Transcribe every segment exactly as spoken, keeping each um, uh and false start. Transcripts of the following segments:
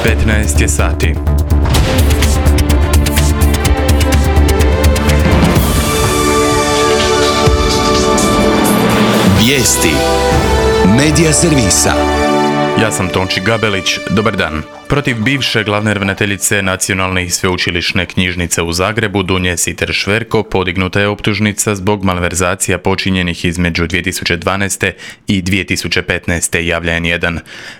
petnaest je sati. Vijesti Medija servisa. Ja sam Tonči Gabelić, dobar dan. Protiv bivše glavne ravnateljice Nacionalne i sveučilišne knjižnice u Zagrebu Dunje Sitter Šverko podignuta je optužnica zbog malverzacija počinjenih između dvije tisuće dvanaeste i dvije tisuće petnaeste, javlja en jedan.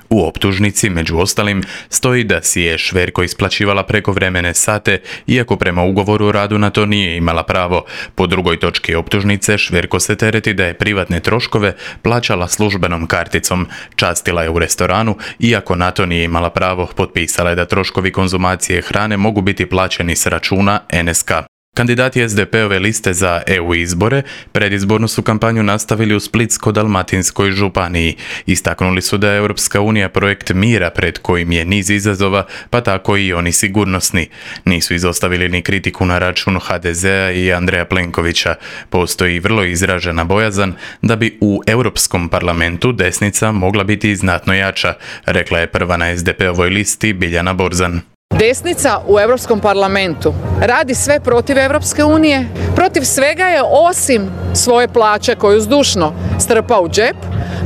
U optužnici, među ostalim, stoji da si je Šverko isplaćivala prekovremene sate, iako prema ugovoru o radu na to nije imala pravo. Po drugoj točki optužnice, Šverko se tereti da je privatne troškove plaćala službenom karticom, častila je u restoranu, iako na to nije imala pravo. Potpisala je da troškovi konzumacije hrane mogu biti plaćeni s računa en es ka. Kandidati es de pe ove liste za e u izbore predizbornu su kampanju nastavili u Splitsko-dalmatinskoj županiji. Istaknuli su da je Europska unija projekt mira pred kojim je niz izazova, pa tako i oni sigurnosni. Nisu izostavili ni kritiku na račun ha de zea i Andreja Plenkovića. Postoji vrlo izražena bojazan da bi u Europskom parlamentu desnica mogla biti znatno jača, rekla je prva na es de pe ovoj listi Biljana Borzan. Desnica u Europskom parlamentu radi sve protiv Europske unije, protiv svega je osim svoje plaće koju zdušno strpa u džep,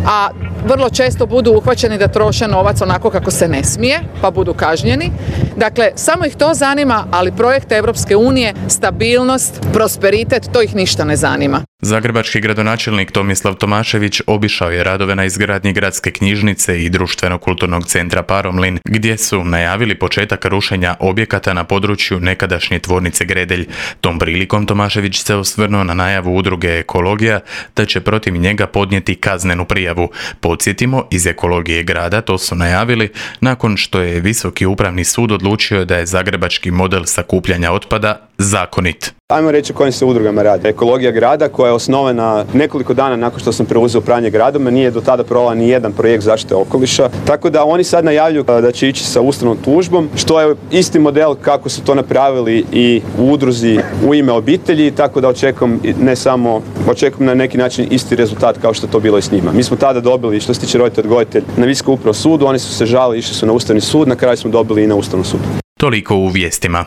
a vrlo često budu uhvaćeni da troše novac onako kako se ne smije, pa budu kažnjeni. Dakle, samo ih to zanima, ali projekt Europske unije, stabilnost, prosperitet, to ih ništa ne zanima. Zagrebački gradonačelnik Tomislav Tomašević obišao je radove na izgradnji gradske knjižnice i društveno-kulturnog centra Paromlin, gdje su najavili početak rušenja objekata na području nekadašnje tvornice Gredelj. Tom prilikom Tomašević se osvrnuo na najavu udruge Ekologija da će protiv njega podnijeti kaznenu prijavu. Podsjetimo, iz Ekologije grada to su najavili nakon što je Visoki upravni sud odlučio da je zagrebački model sakupljanja otpada zakonit. Ajmo reći o kojim se udrugama radi. Ekologija grada, koja je osnovana nekoliko dana nakon što sam preuzeo upravljanje gradom, nije do tada provela ni jedan projekt zaštite okoliša. Tako da oni sad najavljuju da će ići sa ustavnom tužbom, što je isti model kako su to napravili i u udruzi U ime obitelji, tako da očekujem ne samo, očekujem na neki način isti rezultat kao što je to bilo i s njima. Mi smo tada dobili, što se tiče roditelj odgojitelj, na Visokom upravnom sudu, oni su se žalili, išli su na Ustavni sud, na kraju smo dobili i na Ustavnom sudu. Toliko u vijestima.